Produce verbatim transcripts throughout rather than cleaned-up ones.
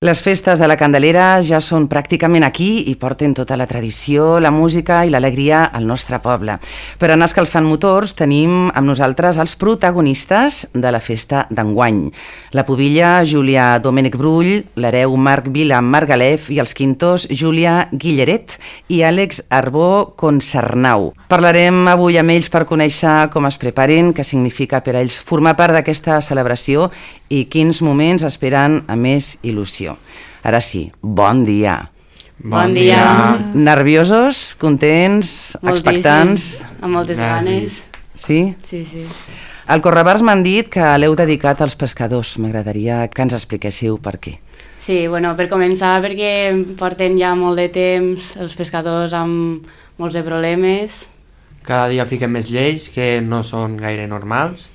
Les festes de la Candelera ja són pràcticament aquí i porten tota la tradició, la música i l'alegria al nostre poble. Per anar escalfant motors tenim amb nosaltres els protagonistes de la festa d'enguany. La pubilla Júlia Domènech Brull, l'hereu Marc Vila Margalef i els quintos Júlia Guilleret i Àlex Arbó Concernau. Parlarem avui amb ells per conèixer com es preparen, què significa per a ells formar part d'aquesta celebració i quins moments esperen a més il·lusió. Ara sí, bon dia. Bon dia. Nerviosos, contents, Moltíssim. Expectants? Amb moltes ganes. Sí? Sí, sí. Al Correbars m'han dit que l'heu dedicat als pescadors. M'agradaria que ens expliquéssiu per què. Sí, bueno, per començar, perquè porten ja molt de temps els pescadors amb molts de problemes. Cada dia fiquem més lleis que no són gaire normals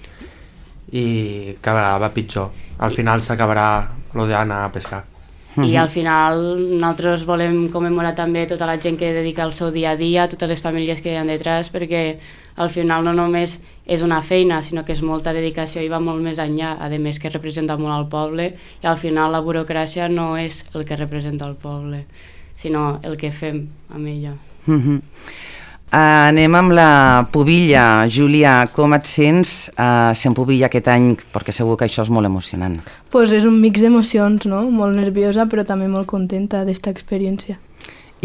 i cada vegada va pitjor. Al final s'acabarà lo d'anar a pescar. I al final nosaltres volem commemorar també tota la gent que dedica el seu dia a dia, totes les famílies que hi ha detrás, perquè al final no només és una feina, sinó que és molta dedicació i va molt més enllà, a més que representa molt al poble, i al final la burocràcia no és el que representa el poble, sinó el que fem amb ella. Uh-huh. Anem amb la pubilla. Júlia, com et sents uh, sent pubilla aquest any? Perquè segur que això és molt emocionant. Pues és un mix d'emocions, no? Molt nerviosa, però també molt contenta d'esta experiència.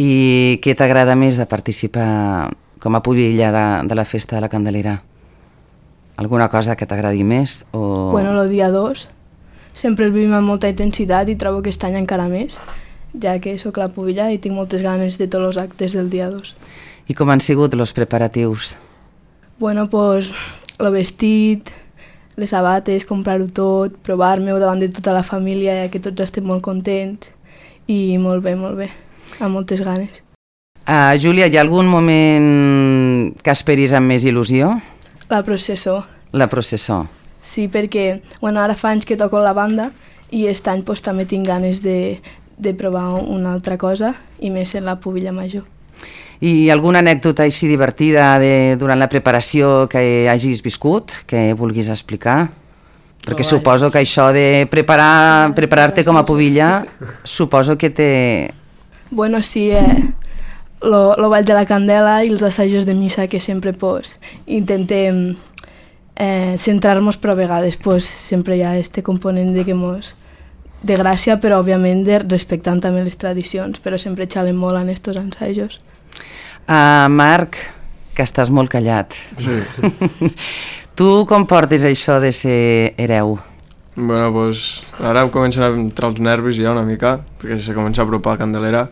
I què t'agrada més de participar com a pubilla de, de la festa de la Candelera? Alguna cosa que t'agradi més? O... Bueno, el dia dos sempre el vivim amb molta intensitat i trobo que aquest any encara més, ja que sóc la pubilla i tinc moltes ganes de tots els actes del dia dos. I com han sigut els preparatius? Bueno, pues el vestit, les sabates, comprar-ho tot, provar-me-ho davant de tota la família, ja que tots estem molt contents i molt bé, molt bé, amb moltes ganes. Uh, Júlia, hi ha algun moment que esperis amb més il·lusió? La processó. La processó. Sí, perquè bueno, ara fa anys que toco la banda i aquest any pues, també tinc ganes de, de provar una altra cosa i més en la pubilla major. I alguna anècdota així divertida de, durant la preparació que hagis viscut, que vulguis explicar? Perquè oh, suposo que això de preparar, preparar-te com a pubilla, suposo que té... Bueno, sí, eh, lo, lo ball de la candela i els assajos de missa que sempre pues, intentem eh, centrar-nos, però a vegades pues, sempre hi ha este component de que mos... de gràcia, però òbviament de, respectant també les tradicions, però sempre xalen molt en estos ensajos. Uh, Marc, que estàs molt callat. Sí. Tu com portes això de ser hereu? Bueno, pues ara em comencen a entrar els nervis ja una mica, perquè se comença a apropar la Candelera.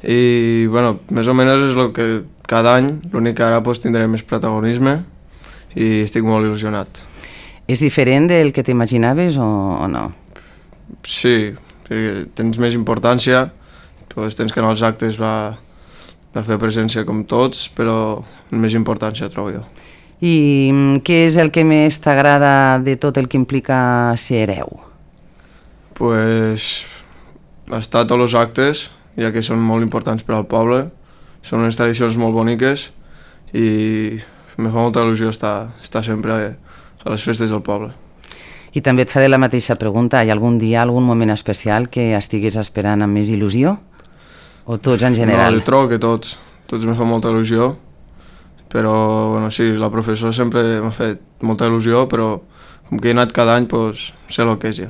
I, bueno, més o menys és el que cada any, l'únic que ara pues, tindré més protagonisme i estic molt il·lusionat. És diferent del que t'imaginaves o, o no? Sí, perquè tens més importància, pues, tens que anar als actes va... de fer presència com tots, però més importància trobo jo. I què és el que més t'agrada de tot el que implica ser hereu? Pues estar a tots els actes, ja que són molt importants per al poble, són unes tradicions molt boniques i em fa molta il·lusió estar, estar sempre a les festes del poble. I també et faré la mateixa pregunta, hi ha algun dia, algun moment especial que estiguis esperant amb més il·lusió? O tots en general? No, jo trobo que tots, tots me fa molta il·lusió, però bueno, sí, la professora sempre m'ha fet molta il·lusió, però com que he anat cada any, doncs sé el que és ja.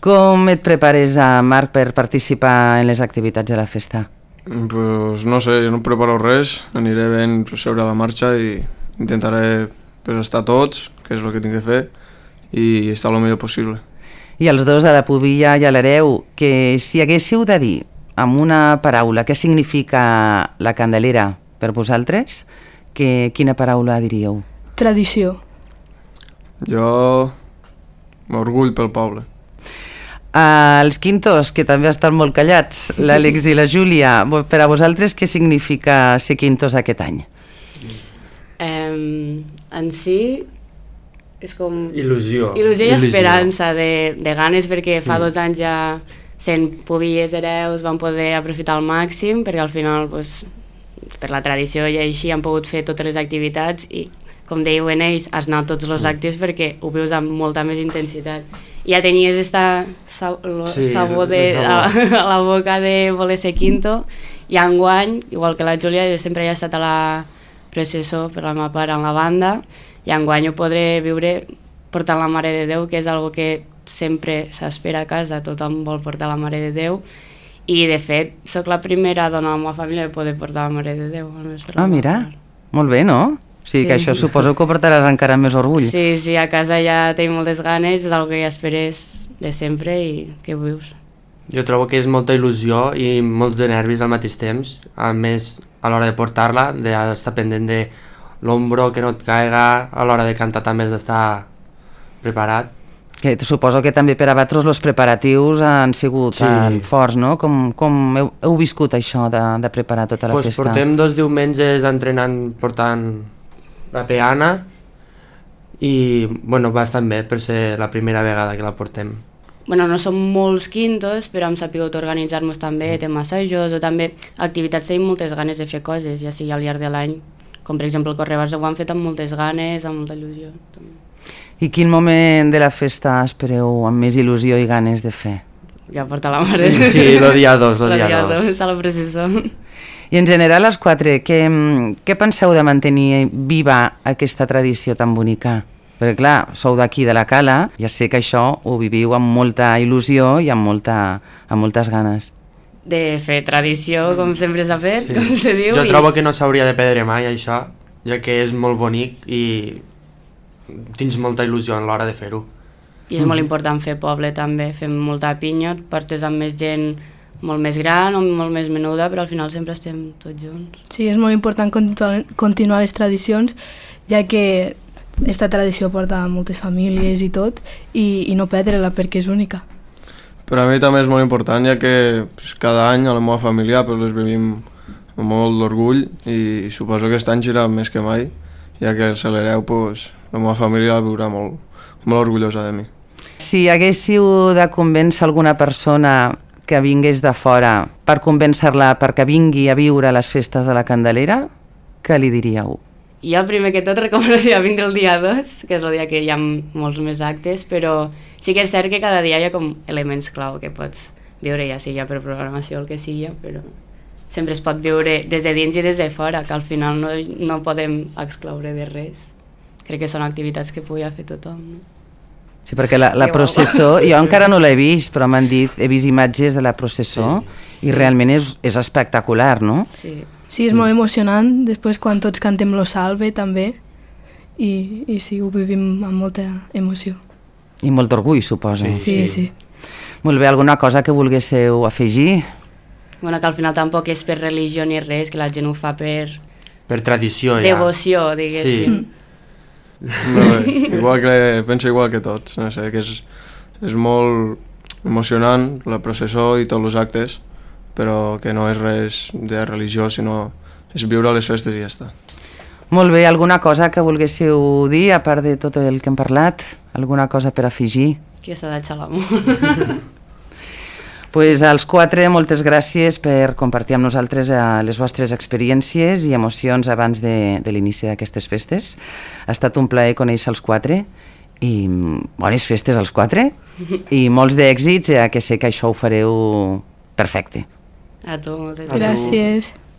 Com et prepares, Marc, per participar en les activitats de la festa? Pues no sé, jo no preparo res, aniré ben sobre la marxa i intentaré pues, estar tots, que és el que tinc que fer, i estar el millor possible. I els dos, a la pubilla i a l'hereu, que si haguéssiu de dir amb una paraula, què significa la Candelera per vosaltres? Que, quina paraula diríeu? Tradició. Jo m'orgull pel poble. Uh, els quintos, que també estan molt callats, l'Àlex i la Júlia, per a vosaltres què significa ser quintos aquest any? Um, en si és com... Il·lusió. Il·lusió i esperança, de, de ganes, perquè fa mm. dos anys ja sent pubilles hereus van poder aprofitar al màxim, perquè al final pues, per la tradició i així han pogut fer totes les activitats i com dèieu en ells has anat tots els actes perquè ho veus amb molta més intensitat ja tenies esta sí, sabor de, a, a la boca de voler ser quinto, i enguany, igual que la Júlia, jo sempre he estat a la processó per la meva part en la banda, i enguany ho podré viure portant la Mare de Déu, que és algo que sempre s'espera a casa, tothom vol portar la Mare de Déu, i de fet sóc la primera dona de la meva família que poder portar la Mare de Déu. Ah, mira, molt bé, no? O sigui sí. que això suposo que ho portaràs encara amb més orgull. Sí, sí, a casa ja tenim moltes ganes, és algo que ja esperes de sempre i que vius. Jo trobo que és molta il·lusió i molts de nervis al mateix temps, a més a l'hora de portar-la, d'estar pendent de l'ombro, que no et caiga, a l'hora de cantar també has d'estar preparat. Que suposo que també per a vosaltres els preparatius han sigut sí. tan forts, no? Com, com heu, heu viscut això de, de preparar tota la pues festa? Portem dos diumenges entrenant, portant la peana i bueno, bastant bé per ser la primera vegada que la portem. Bueno, no som molts quintos, però hem sapigut organitzar-nos també, tenim assajos o també activitats, tenim moltes ganes de fer coses, ja sigui al llarg de l'any, com per exemple el Correbars ho han fet amb moltes ganes, amb molta il·lusió. També. I quin moment de la festa espereu amb més il·lusió i ganes de fer? Ja porta la mare. Sí, el dia dos, el dia dos. A la processó. I en general, els quatre, què, què penseu de mantenir viva aquesta tradició tan bonica? Perquè clar, sou d'aquí de la Cala, ja sé que això ho viviu amb molta il·lusió i amb, molta, amb moltes ganes. De fer tradició, com sempre s'ha fet, sí. com se diu. Jo i... trobo que no s'hauria de perdre mai això, ja que és molt bonic i tens molta il·lusió a l'hora de fer-ho. I és molt important fer poble també, fem molta pinya, portes amb més gent molt més gran o molt més menuda, però al final sempre estem tots junts. Sí, és molt important continuar, continuar les tradicions, ja que esta tradició porta a moltes famílies i tot, i, i no perdre-la perquè és única. Per a mi també és molt important, ja que pues, cada any a la meva família pues, les vivim amb molt d'orgull i suposo que aquest any serà més que mai, ja que el celereu, pues, la meva família la viurà molt, molt orgullosa de mi. Si haguéssiu de convèncer alguna persona que vingués de fora per convèncer-la perquè vingui a viure a les festes de la Candelera, què li diríeu? Jo primer que tot recomanaria vindre el dia dos, que és el dia que hi ha molts més actes, però sí que és cert que cada dia hi ha com elements clau que pots viure, ja sigui per programació o el que sigui, però sempre es pot viure des de dins i des de fora, que al final no, no podem excloure de res. Crec que són activitats que pugui fer tothom, no? Sí, perquè la, la processó, jo encara no l'he vist, però m'han dit, he vist imatges de la processó sí, i sí. realment és, és espectacular, no? Sí. Sí, és molt emocionant, després quan tots cantem lo salve també, i, i sí, ho vivim amb molta emoció. I molt orgull, suposo. Sí, sí. sí. Molt bé, alguna cosa que volguéssiu afegir? Bueno, que al final tampoc és per religió ni res, que la gent ho fa per... Per tradició, ja. Devoció, diguéssim. Sí. No, igual que, penso igual que tots, no sé, que és, és molt emocionant la processó i tots els actes, però que no és res de religió, sinó és viure les festes i ja està. Molt bé, alguna cosa que volguéssiu dir, a part de tot el que hem parlat? Alguna cosa per afegir? Que s'ha de xalar-m'ho. Pues als quatre, moltes gràcies per compartir amb nosaltres les vostres experiències i emocions abans de, de l'inici d'aquestes festes. Ha estat un plaer conèixer els quatre i bones festes als quatre i molts d'èxits, ja que sé que això ho fareu perfecte. A tu, moltes gràcies.